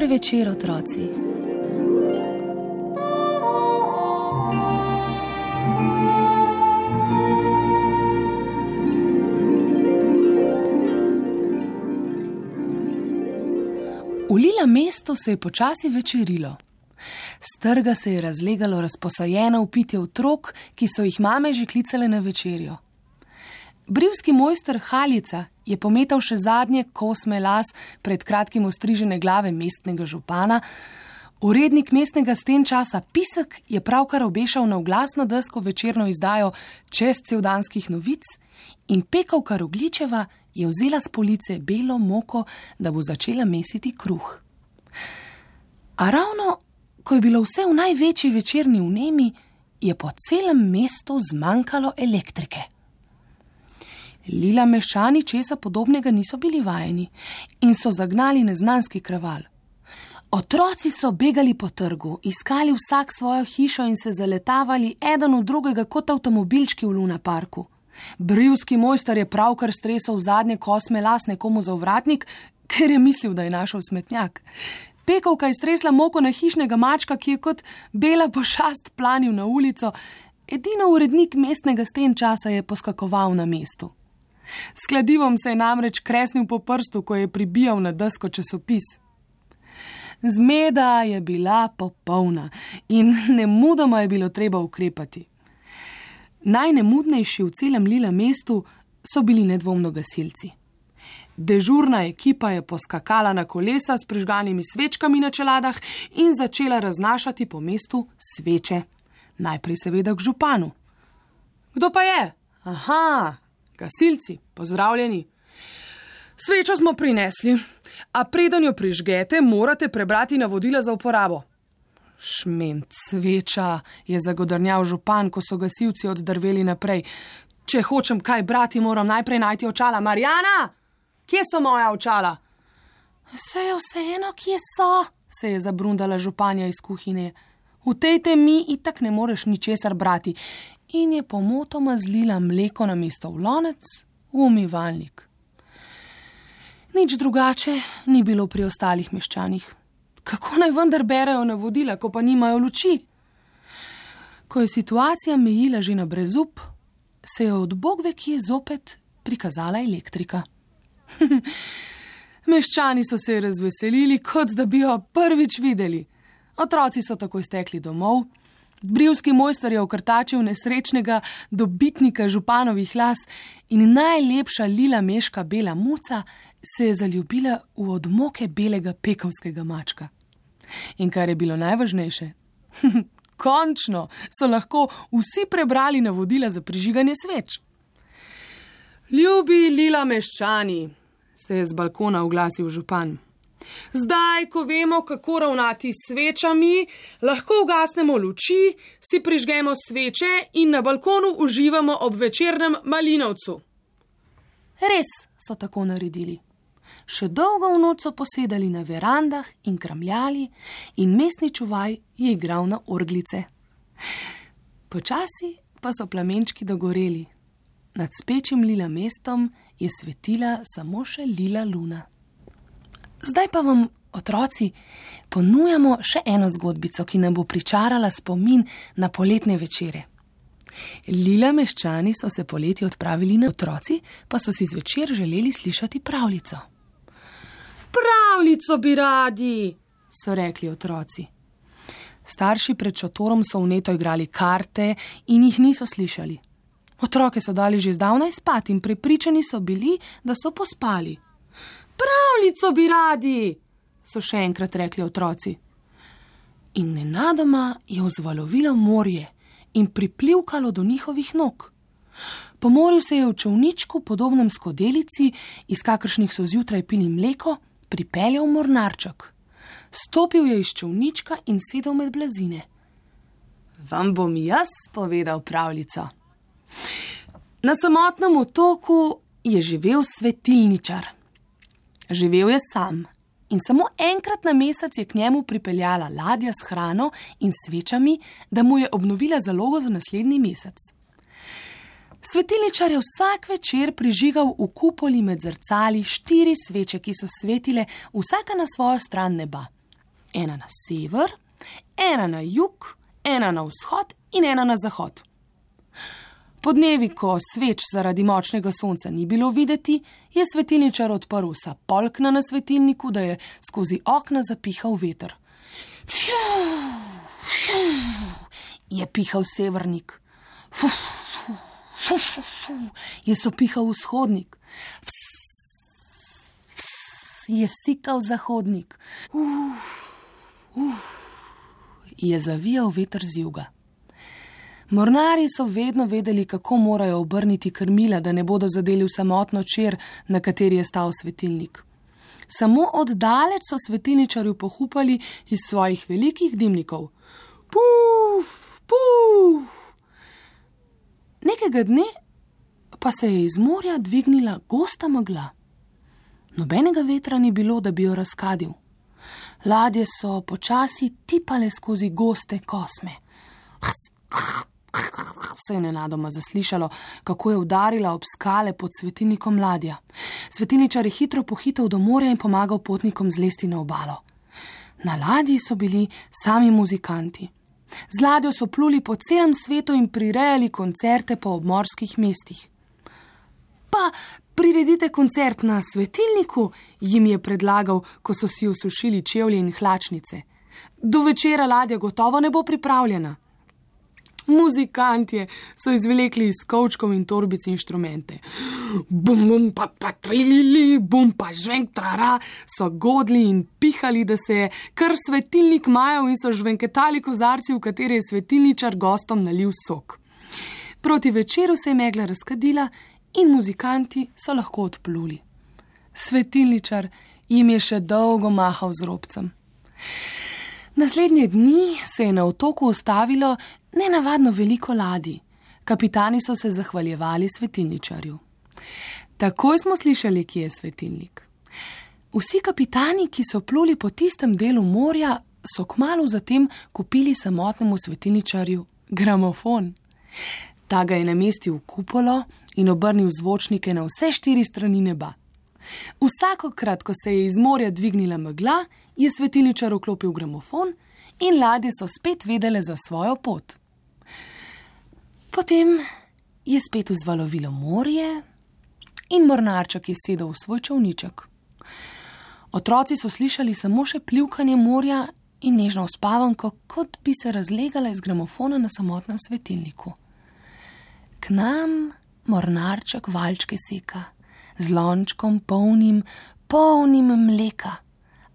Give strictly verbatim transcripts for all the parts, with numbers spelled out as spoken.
Dober večer, otroci. V Lila mestu se je počasi večerilo. S trga se je razlegalo razposajeno vpitje otrok, ki so jih mame že klicale na večerjo. Brivski mojster Haljica je pometal še zadnje kosme las pred kratkim ostrižene glave mestnega župana, urednik mestnega stenčasa Pisek je pravkar obešal na oglasno desko večerno izdajo čezcevdanskih novic in pekavka Rogličeva je vzela s police belo moko, da bo začela mesiti kruh. A ravno, ko je bilo vse v največji večerni vnemi, je po celem mestu zmanjkalo elektrike. Lila meščani česa podobnega niso bili vajeni in so zagnali neznanski kraval. Otroci so begali po trgu, iskali vsak svojo hišo in se zaletavali eden v drugega kot avtomobilčki v Luna parku. Brivski mojster je pravkar stresal zadnje kosme las nekomu za ovratnik, ker je mislil, da je našel smetnjak. Pekavka je stresla moko na hišnega mačka, ki je kot bela pošast planil na ulico. Edino urednik mestnega stenčasa je poskakoval na mestu. S kladivom se je namreč kresnil po prstu, ko je pribijal na desko časopis. Zmeda je bila popolna in nemudoma je bilo treba ukrepati. Najnemudnejši v celem Lila mestu so bili nedvomno gasilci. Dežurna ekipa je poskakala na kolesa s prižganimi svečkami na čeladah in začela raznašati po mestu sveče. Najprej seveda k županu. Kdo pa je? Aha, gasilci, pozdravljeni. Svečo smo prinesli, a preden jo prižgete, morate prebrati navodila za uporabo. Šment, sveča, je zagodrnjal župan, ko so gasilci oddrveli naprej. Če hočem kaj brati, moram najprej najti očala. Marjana, kje so moja očala? Se je vseeno, kje so, se je zabrundala županja iz kuhinje. V tej temi itak ne moreš ničesar brati. In je pomotoma zlila mleko namesto v lonec v umivalnik. Nič drugače ni bilo pri ostalih meščanih. Kako naj vendar berejo navodila, ko pa nimajo luči? Ko je situacija mejila že na brezup, se je od bogve kje zopet prikazala elektrika. Meščani so se razveselili, kot da bi jo prvič videli. Otroci so takoj stekli domov. Brivski mojster je okrtačil nesrečnega dobitnika županovih las in najlepša Lila meška bela muca se je zaljubila v odmoke belega pekavskega mačka. In kar je bilo najvažnejše, končno so lahko vsi prebrali navodila za prižiganje sveč. Ljubi Lila meščani, se je z balkona oglasil župan. Zdaj, ko vemo, kako ravnati s svečami, lahko ugasnemo luči, si prižgemo sveče in na balkonu uživamo ob večernem malinovcu. Res so tako naredili. Še dolgo v noč so posedali na verandah in kramljali in mestni čuvaj je igral na orglice. Počasi pa so plamenčki dogoreli. Nad spečim Lila mestom je svetila samo še Lila luna. Zdaj pa vam, otroci, ponujamo še eno zgodbico, ki nam bo pričarala spomin na poletne večere. Lila meščani so se poleti odpravili na otroci, pa so si zvečer želeli slišati pravljico. Pravljico bi radi, so rekli otroci. Starši pred šotorom so vneto igrali karte in jih niso slišali. Otroke so dali že zdavnaj spat in prepričani so bili, da so pospali. Pravljico bi radi, so še enkrat rekli otroci. In nenadoma je vzvalovilo morje in priplivkalo do njihovih nog. Po morju se je v čolničku, podobnem skodelici, iz kakršnih so zjutraj pili mleko, pripeljal mornarček. Stopil je iz čolnička in sedel med blazine. Vam bom jaz povedal pravljico. Na samotnem otoku je živel svetilničar. Živel je sam in samo enkrat na mesec je k njemu pripeljala ladja s hrano in svečami, da mu je obnovila zalogo za naslednji mesec. Svetilničar je vsak večer prižigal v kupoli med zrcali štiri sveče, ki so svetile vsaka na svojo stran neba. ena na sever, ena na jug, ena na vzhod in ena na zahod. Po dnevi, ko sveč zaradi močnega sonca ni bilo videti, je svetilničar odprl vsa polkna na svetilniku, da je skozi okna zapihal veter. Je pihal severnik, je sopihal vzhodnik, je sikal zahodnik, je zavijal veter z juga. Mornarji so vedno vedeli, kako morajo obrniti krmila, da ne bodo zadeli v samotno čer, na kateri je stal svetilnik. Samo oddaleč so svetilničarju pohupali iz svojih velikih dimnikov. Puf, puf. Nekega dne pa se je iz morja dvignila gosta megla. Nobenega vetra ni bilo, da bi jo razkadil. Ladje so počasi tipale skozi goste kosme. Se je nenadoma zaslišalo, kako je udarila ob skale pod svetilnikom ladja. Svetilničar je hitro pohitel do morja in pomagal potnikom zlesti na obalo. Na ladji so bili sami muzikanti. Z ladjo so pluli po celem svetu in prirejali koncerte po obmorskih mestih. Pa priredite koncert na svetilniku, jim je predlagal, ko so si osušili čevlje in hlačnice. Do večera ladja gotovo ne bo pripravljena. Muzikantje so izvlekli iz kovčkov in torbic inštrumente. Bum, bum, pa, pa, trilili, bum, pa, žvenk, trara, so godli in pihali, da se je kar svetilnik majal in so žvenketali kozarci, v katere je svetilničar gostom nalil sok. Proti večeru se je megla razkadila in muzikanti so lahko odpluli. Svetilničar jim je še dolgo mahal z robcem. Naslednje dni se je na otoku ustavilo nenavadno veliko ladij. Kapitani so se zahvaljevali svetilničarju. Takoj smo slišali, kje je svetilnik. Vsi kapitani, ki so pluli po tistem delu morja, so kmalu zatem kupili samotnemu svetilničarju gramofon. Ta ga je namestil v kupolo in obrnil zvočnike na vse štiri strani neba. Vsakokrat, ko se je iz morja dvignila megla, je svetilničar vklopil gramofon in ladje so spet vedele za svojo pot. Potem je spet vzvalovilo morje in mornarček je sedel v svoj čolniček. Otroci so slišali samo še plivkanje morja in nežno uspavanko, kot bi se razlegala iz gramofona na samotnem svetilniku. K nam mornarček valčke seka, z lončkom polnim, polnim mleka.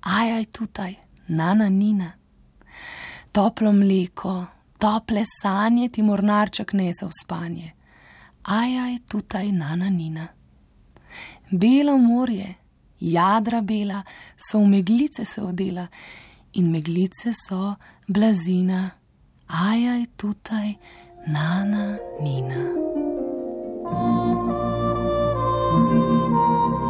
Ajaj tutaj, nana nina. Toplo mleko, tople sanje ti mornarček nese v spanje. Ajaj tutaj, nana nina. Belo morje, jadra bela, so v meglice se odela in meglice so blazina. Ajaj tutaj, nana nina. Thank you.